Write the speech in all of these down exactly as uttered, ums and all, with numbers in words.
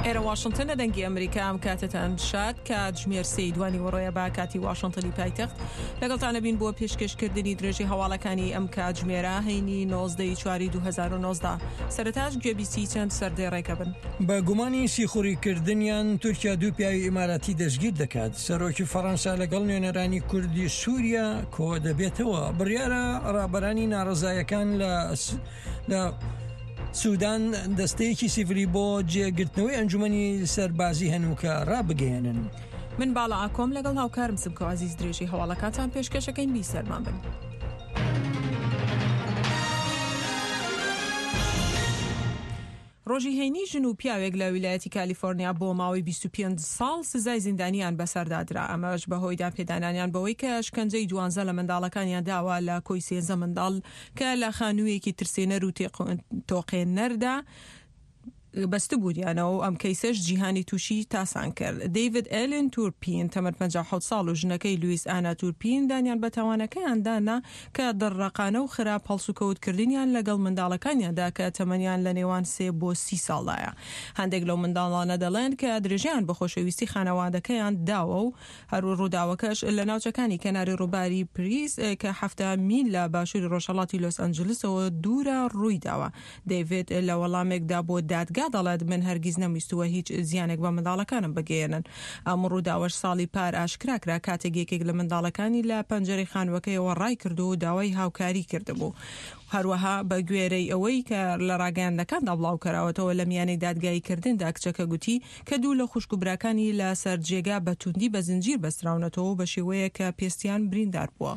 ئێرە واشنتن دەنگی ئەمریکا. ئەم کاتتان شاد. کاتژمێر سێی دوانی وڕۆیە با کاتی واشنتنی پایتەخت. لەگەڵتانە بین بۆ پێشکەشکردنی درێژی هەواڵەکانی ئەم کاتژمێرە هەینی نۆزدە چواری دوو هەزار و نۆزدە. سەرەتاش گوێبیستی چەند سەردێڕێکە بن. بە گومانی سیخوڕیکردنیان تورکیا دوو پیاوی ئیماراتی دەستگیر دەکات. سەرۆکی فەڕەنسا لەگەڵ نوێنەرانی کوردی سووریا کۆ دەبێتەوە. بڕیارە ڕابەرانی ناڕەزایەکان لە سودان دەستەیەکی سیڤیلی بۆ جێگرتنەوەی ئەنجومەنی سەربازی هەنووکە ڕابگەیەنن. من باڵا ئاکۆم لەگەڵ هاوکارم سمکۆ عەزیز درێژی هەواڵەکانتان پێشکەشەکەین. بیسەرمان بن. ڕۆژی هەینی ژن و پیاوێک لە ویلایەتی کالیفۆرنیا بۆ ماوەی بیست و پێنج ساڵ سزای زیندانیان بەسەردا درا. ئەمەش بەهۆی دانپێدانانیان بەوەی کە شکەنجەی دوانزە لە منداڵەکانیان داوە لە کۆی سێزدە منداڵ کە لە خانوویەکی ترسێنەر و تۆقێنەردا بەستبوویانەوە. ئەم کەیسەش جیهانی تووشی تاسان کرد. دەیڤید ئێلن تورپین تەمەن پەنجا و حەوت ساڵ و ژنەکەی لویس ئانا تورپین دانیان بە تاوانەکەیان دانا کە دڕڕەقانە و خراپ هەڵسوکەوتکردنیان لەگەڵ منداڵەکانیاندا کە تەمەنیان لە نێوان سێ بۆ سی ساڵدایە. هەندێک لەو منداڵانە دەڵێن کە درێژیان بە خۆشەویستی خانەوادەکەیان داوە و هەر ڕووداوەکەش لە ناوچەکانی کەناری ڕووباری پریس کە حەفتا میل لە باشووری ڕۆژهەڵاتی لۆس ئەنجلسەوە دوورە ڕووی داوە. دەیڤید لە وەڵامێکدا بۆ دادگا دەڵێت من هەرگیز نەمویستووە هیچ زیانێک بە منداڵەکانم بگەیەنن. ئەم ڕووداوەش ساڵی پار ئاشکرا کرا کاتێک یەکێک لە منداڵەکانی لە پەنجەرەی خانووەکەیەوە ڕای کرد و داوای هاوکاری کردبوو. هەروەها بە گوێرەی ئەوەی کە لە ڕاگەیاندنەکاندا بڵاو کراوەتەوە لە میانەی دادگاییکردندا کچەکە گوتی کە دوو لە خوشک و براکانی لە سەر جێگا بە توندی بە زنجیر بەستراونەتەوە بە شێوەیە کە پێستیان بریندار بووە.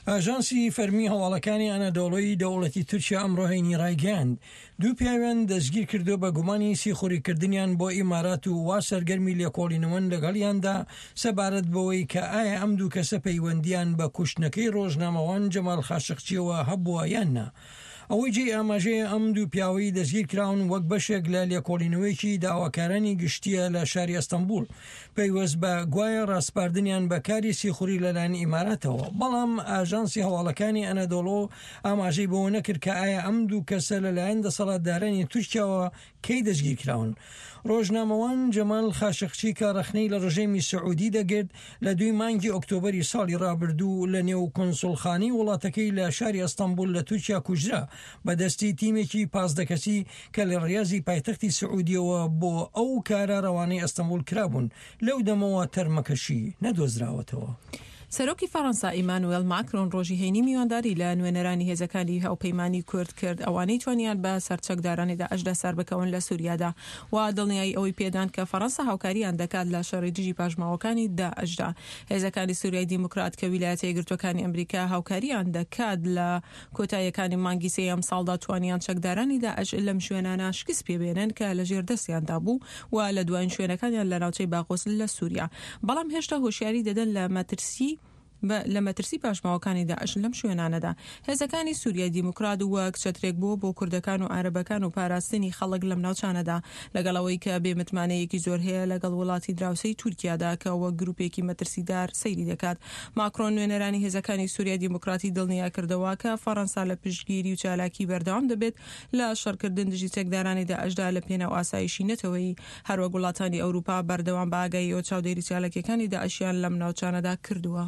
ئاژانسی فەرمی هەواڵەکانی ئەنەدۆڵۆی دەوڵەتی تورکیا ئەمڕۆ هەینی ڕایگەیاند دوو پیاویان دەستگیر کردو بە گومانی سیخوڕیکردنیان بۆ ئیمارات و وا سەرگەرمی لێکۆڵینەوەن لەگەڵیاندا سەبارەت بەوەی کە ئایا ئەم دوو کەسە پەیوەندیان بە کوشتنەکەی ڕۆژنامەوان جەمال خاشقچیەوە هەبووە یان نا. ئەوەی جێی ئاماژەیە ئەم دوو پیاوەی دەستگیر کراون وەک بەشێک لە لێکۆڵینەوەیەکی داواکارانی گشتیە لە شاری ئەستەنبوڵ پەیوەست بە گوایە ڕاسپاردنیان بە کاری سیخوڕی لەلایەن ئیماراتەوە. بەڵام ئاژانسی هەواڵەکانی ئەنەدۆڵۆ ئاماژەی بەوە نەکرد کە ئایا ئەم دوو کەسە لەلایەن دەسەڵاتدارانی تورکیاوە کەی دەستگیر کراون. ڕۆژنامەوان جەمال خاشقچی کە ڕەخنەی لە ڕژێمی سعودی دەگرت لە دوی مانگی ئۆکتۆبەری ساڵی ڕابردوو لە نێو کونسوڵخانەی وڵاتەکەی لە شاری ئەستەنبوڵ لە تورکیا کوژرا بەدەستی تیمێکی پازدە کەسی کە لە ڕیازی پایتەختی سعودیەوە بۆ ئەو کارە ڕەوانەی ئەستەنبوڵ کرابوون. لەو دەمەوە تەرمەکەشی نەدۆزراوەتەوە. سەرۆکی فەڕەنسا ئیمانوێل ماکرۆن ڕۆژی هەینی میوانداری لە نوێنەرانی هێزەکانی هاوپەیمانی کورد کرد ئەوانەی توانیان بە سەرچەکدارانی داعشدا سەر بکەون لە سووریادا و دڵنیایی ئەوەی پێدان کە فەڕەنسا هاوکاریان دەکات لە شەڕی دژی پاشماوەکانی داعشدا. هێزەکانی سووریای دیموکرات کە ویلایەتە یەکگرتووەکانی ئەمریکا هاوکاریان دەکات لە کۆتاییەکانی مانگی سێ ئەم ساڵدا توانیان چەکدارانی داعش لەم شوێنانە شکست پێبێنن کە لەژێر دەستیاندا بوو و لە دوایین شوێنەکانیان لە ناوچەی باغۆس لە سووریا، بەڵام هێشتا هۆشیاری دەدەن لە مەترسی لە مەترسی پاشماوەکانی داعش لەم شوێنانەدا. هێزەکانی سووریای دیموکرات وەک چەترێک بووە بۆ کوردەکان و عەرەبەکان و پاراستنی خەڵک لەم ناوچانەدا، لەگەڵ ئەوەی کە بێمتمانەیەکی زۆر هەیە لەگەڵ وڵاتی دراوسێی تورکیادا کە وەک گروپێکی مەترسیدار سەیری دەکات. ماکرۆن نوێنەرانی هێزەکانی سووریای دیموکراتی دڵنیا کردەوە کە فەڕەنسا لە پشتگیری و چالاکی بەردەوام دەبێت لە شەڕکردن دژی چەکدارانی داعشدا لە پێناو ئاسایشی نەتەوەیی. هەروەک وڵاتانی ئەوروپا بەردەوام بە ئاگاییەوە چاودێری چالاکیەکانی داعشیان لەم ناوچانەدا کردووە.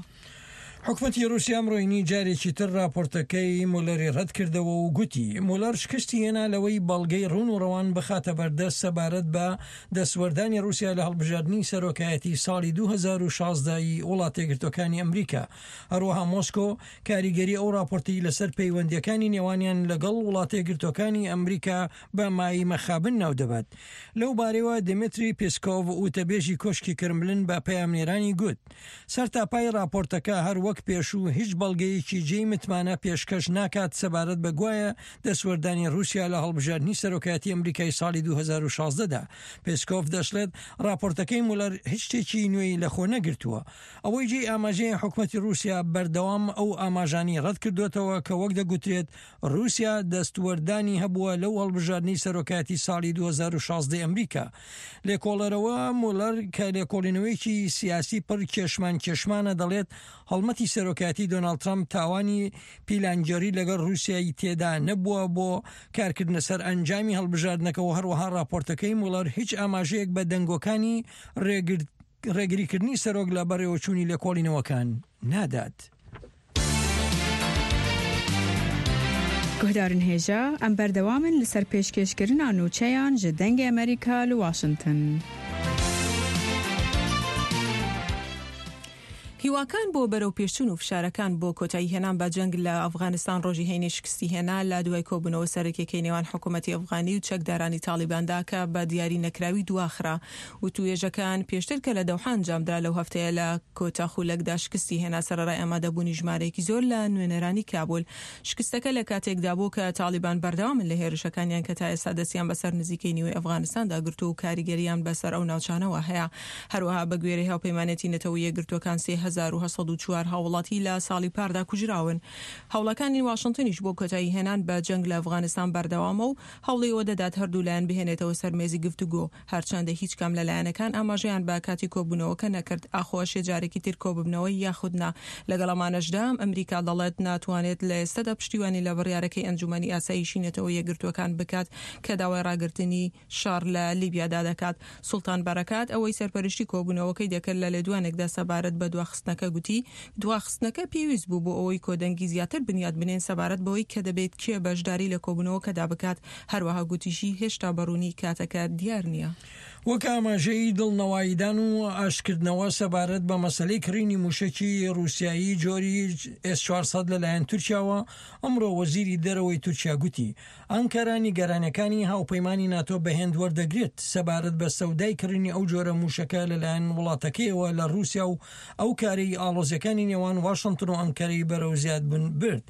حکومەتی رووسیا ئەمڕۆ هەینی جارێکی تر راپۆرتەکەی مولەری ڕەت کردەوە و گوتی مولەر شکستی هێنا لەوەی بەڵگەی ڕوون و ڕەوان بخاتە بەردەست سەبارەت بە دەستوەردانی رووسیا لە هەڵبژاردنی سەرۆکایەتی ساڵی دوو هەزار و شازدە ی وڵاتە یەکگرتووەکانی ئەمریکا. هەروەها مۆسکۆ کاریگەری ئەو راپۆرتی لەسەر پەیوەندیەکانی نێوانیان لەگەڵ وڵاتە یەکگرتووەکانی ئەمریکا بە مایەی مەخابن ناودەبات. لەو بارەیەوە دیمیتری پێسکۆڤ وتەبێژی کۆشکی کرملن بە پەیامنێرانی گوت سەرتاپای راپۆرتەکە هەر وەک پێشوو هیچ بەڵگەیەکی جێی متمانە پێشکەش ناکات سەبارەت بە گوایە دەستوەردانی رووسیا لە هەڵبژاردنی سەرۆکایەتی ئەمریکای ساڵی دوو هەزار و شازدە دا. پێسکۆڤ دەشڵێت راپۆرتەکەی مولەر هیچ شتێکی نوێی لەخۆ نەگرتووە. ئەوەی جێی ئاماژەیە حکومەتی رووسیا بەردەوام ئەو ئاماژانی ڕەت کردوێتەوە کە وەک دەگوترێت رووسیا دەستوەردانی هەبووە لەو هەڵبژاردنی سەرۆکایەتی ساڵی دوو هەزار و شازدە ئەمریکا. لێکۆڵەرەوە مولەر کە لێکۆڵینەوەیەکی سیاسی پڕ کێشمان کێشمانە دەڵێت هەڵمەتی دەسەڵاتی سەرۆکایەتی دۆناڵد ترەمپ تاوانی پیلانگێڕی لەگەڵ ڕووسیای تێدا نەبووە بۆ کارکردنە سەر ئەنجامی هەڵبژاردنەکە و هەروەها ڕاپۆرتەکەی موڵەر هیچ ئاماژەیەک بە دەنگۆکانی ڕێگریکردنی سەرۆک لە بەڕێوەچوونی لێکۆڵینەوەکان نادات. Guhdarên hêja em berdewam in li ser pêşkêşkirina nûçeyan ji Dengê Amerîka li Washington. هیواکان بۆ بەرەو پێشچوون و فشارەکان بۆ کۆتایی هێنان بە جەنگ لە ئەفغانستان ڕۆژی هەینی شکستی هێنا لە دوای کۆبوونەوە سەرەکیەکەی نێوان حکوومەتی ئەفغانی و چەکدارانی تاڵیباندا کە بە دیاری نەکراوی دواخرا. وتوێژەکان پێشتر کە لە دەوحە ئەنجامدرا لەو هەفتەیە لە کۆتا خولەکدا شکستی هێنا سەرەڕای ئامادەبوونی ژمارەیەکی زۆر لە نوێنەرانی کابول. شکستەکە لە کاتێکدا بوو کە تاڵیبان بەردەوامن لە هێرشەکانیان کە تا ئێستا دەستیان بەسەر نزیکەی نیوەی ئەفغانستاندا گرتووە و کاریگەریان بەسەر ئەو ناوچانەوە هەیە. هەروەها بە گوێرەی هاوپەیمانێتی نەتەوە یەکگرتووەکان سێ هەزار و هەشت سەد و چوار هاوڵاتی لە ساڵی پاردا کوژراون. هەوڵەکانی واشنگتنیش بۆ کۆتایی هێنان بە جەنگ لە ئەفغانستان بەردەوامە و هەوڵی ئەوە دەدات هەردوو لایەن بهێنێتەوە سەر مێزی گفتوگۆ. هەرچەندە هیچ کام لە لایەنەکان ئاماژەیان بە کاتی کۆبوونەوەکە نەکرد ئاخۆ ئەشێ جارێکی تر کۆببنەوە یاخود نا. لەگەڵ ئەمانەشدا ئەمریکا دەڵێت ناتوانێت لە ئێستادا پشتیوانی لە بڕیارەکەی ئەنجومەنی ئاسایشی نەتەوە یەکگرتووەکان بکات کە داوای ڕاگرتنی شەڕ لە لیبیادا دەکات. سوڵتان بەرەکات ئەوەی سەرپەرشتی کۆبوونەوەکەی دەکرد لە لێدوانێکدا سەبارەت بە دواخستنەکە گوتی دواخستنەکە پێویست بوو بۆ ئەوەی کۆدەنگی زیاتر بنیات بنێن سەبارەت بەوەی کە دەبێت کێ بەشداری لە کۆبوونەوەکەدا بکات. هەروەها گوتیشی هێشتا بەڕوونی کاتەکە دیار نییە. وەک ئاماژەی دڵنەواییدان و ئاشکردنەوە سەبارەت بە مەسلەی کڕینی موشەکی ڕووسیایی جۆری ئێس چوار سەد لەلایەن تورکیاوە، ئەمڕۆ وەزیری دەرەوەی تورکیا گوتی ئەنکەرە نیگەرانیەکانی هاوپەیمانی ناتۆ بەهێند وەردەگرێت سەبارەت بە سەودای کڕینی ئەو جۆرە موشەکە لەلایەن وڵاتەکەیەوە لە ڕووسیا و ئەو کارەی ئاڵۆزیەکانی نێوان واشنگتن و ئەنکەرەی بەرەو زیادبوون برد.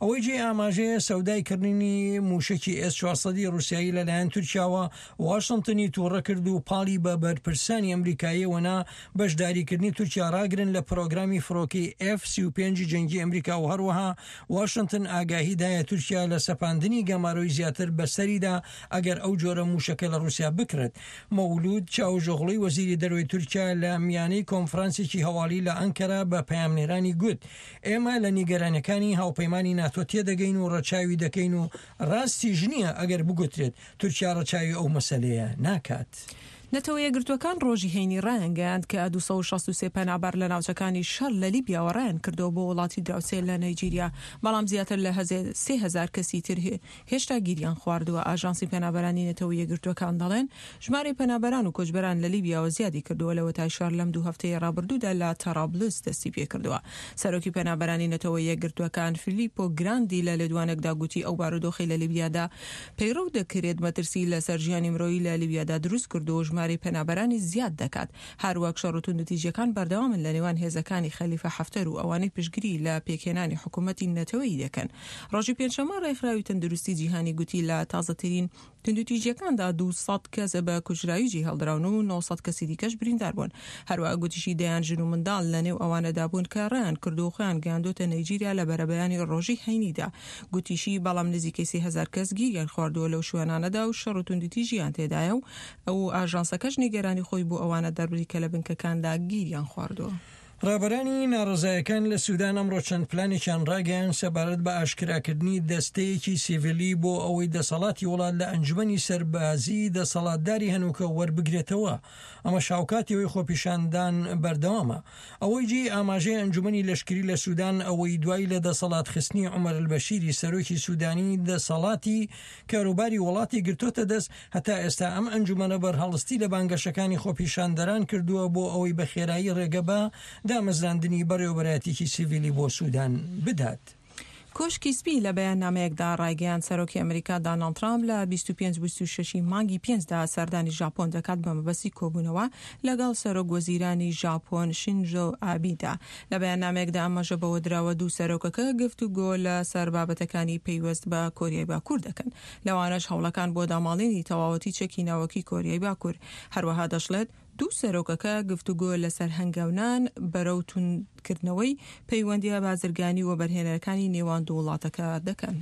ئەوەی جێ ئاماژەیە سەودای کڕینی موشەکی ئێس چوار سەدی ڕووسیایی لەلایەن تورکیاوە واشنگتنی تووڕە کرد و پاڵی بە بەرپرسانی ئەمریکاییەوە نا بەشداریکردنی تورکیا ڕاگرن لە پرۆگرامی فڕۆکەی ئێف سی و پێنج جەنگی ئەمریکا و هەروەها واشنگتن ئاگاهی دایە تورکیا لە سەپاندنی گەمارۆی زیاتر بەسەریدا ئەگەر ئەو جۆرە موشەکە لە ڕووسیا بکرێت. مەولود چاوشئۆغڵوی وەزیری دەرەوەی تورکیا لە میانەی کۆنفرانسێکی هەواڵی لە ئەنکەرە بە پەیامنێرانی گوت ئێمە لە نیگەرانیەکانی هاوپەیمانی ناتۆ تێدەگەین و ڕەچاوی دەکەین و ڕاستیش نییە ئەگەر بگوترێت تورکیا ڕەچاوی ئەو مەسەلەیە ناکات. نەتەوە یەکگرتووەکان ڕۆژی هەینی ڕایانگەیاند کە دوو سەد و شەست و سێ پەنابەر لە ناوچەکانی شەڕ لە لیبیاوە ڕایان کردەوە بۆ وڵاتی دراوسێ لە نەیجیریا، بەڵام زیاتر لە سێ هەزار کەسی تر هێشتا گیریان خواردووە. ئاژانسی پەنابەرانی نەتەوە یەکگرتووەکان دەڵێن ژمارەی پەنابەران و کۆچبەران لە لیبیاوە زیادی کردووە لەوەتای شەڕ لەم دوو هەفتەیە ڕابردوودا لە تەرابلس دەستی پێکردووە. سەرۆکی پەنابەرانی نەتەوە یەکگرتووەکان فیلیپۆ گراندی لە لێدوانێکدا گوتی ئەو بارودۆخی لە لیبیادا پەیڕەو دەکرێت مەترسی لەسەر ژیانی مرۆیی لە لیبیادا دروست کردووە ژمارەی پەنابەرانی زیاد دەکات. هەروەک شەڕ و توندوتیژیەکان بەردەوامن لە نێوان هێزەکانی خەلیفە حەفتەر و ئەوانەی پشتگیری لە پێکهێنانی حکوومەتی نەتەوەیی دەکەن. ڕۆژی پێنجشەممە ڕێکخراوی تەندروستی جیهانی گوتی لە تازەترین توندوتیژیەکاندا دوو سەد کەس بە کوژراوی جێهێڵدراون و نۆ سەد کەسی دیکەش بریندار بوون. هەروەها گوتیشی دەیان ژن و منداڵ لەنێو ئەوانەدا بوون کە ڕایان کردو و خۆیان گەیاندۆتە نەیجیریا لە بەرەبەیانی ڕۆژی هەینیدا. گوتیشی بەڵام نزیکەی سێ هەزار کەس گیریان خواردووە لەو شوێنانەدا و شەڕ و توندوتیژیان تێدایە و ئەو ئاژانسەکەش نیگەرانی خۆی بۆ ئەوانە دەربڕی کە لە بنکەکاندا گیریان خواردووە. ڕابەرانی ناڕەزایەکان لە سودان ئەمڕۆ چەند پلانێکیان ڕاگەیان سەبارەت بە ئاشکراکردنی دەستەیەکی سیڤیلی بۆ ئەوەی دەسەڵاتی وڵات لە ئەنجومەنی سەربازی دەسەڵاتداری هەنووکە وەربگرێتەوە. ئەمە شاوکاتی ئەوەی خۆپیشاندان بەردەوامە. ئەوەی جێی ئاماژەی ئەنجومەنی لەشکری لە سودان ئەوەی دوای لە دەسەڵات خستنی عومەر البەشیری سەرۆکی سودانی دەسەڵاتی کاروباری وڵاتی گرتۆتە دەست، هەتا ئێستا ئەم ئەنجومەنە بەرهەڵستی لە بانگەشەکانی خۆپیشاندەران کردووە بۆ ئەوەی بە خێرایی ڕێگە بە دامەزراندنی بەڕێوەبەرایەتێکی سیڤیلی بۆ سودان بدات. کۆشکی سپی لە بەیاننامەیەکدا ڕایگەیاند سەرۆکی ئەمریکا داناڵد ترامپ لە بیست و پێنج بیست و شەش مانگی پێنجدا سەردانی ژاپۆن دەکات بە مەبەستی کۆبوونەوە لەگەڵ سەرۆک وەزیرانی ژاپۆن شینزۆ ئابیدا. لە بەیاننامەیەکدا ئاماژە بەوە دراوە دوو سەرۆکەکە گفتوگۆ لە سەر بابەتەکانی پەیوەست بە کۆریای باکوور دەکەن، لەوانەش هەوڵەکان بۆ داماڵینی تەواوەتی چەکی ناوەکی کۆریای باکوور. هەروەها دەشڵێت دوو سەرۆکەکە گفتوگۆ لەسەر هەنگاونان بەرەو توندکردنەوەی پەیوەندیە بازرگانی و وەبەرهێنەرەکانی نێوان دوو وڵاتەکە دەکەن.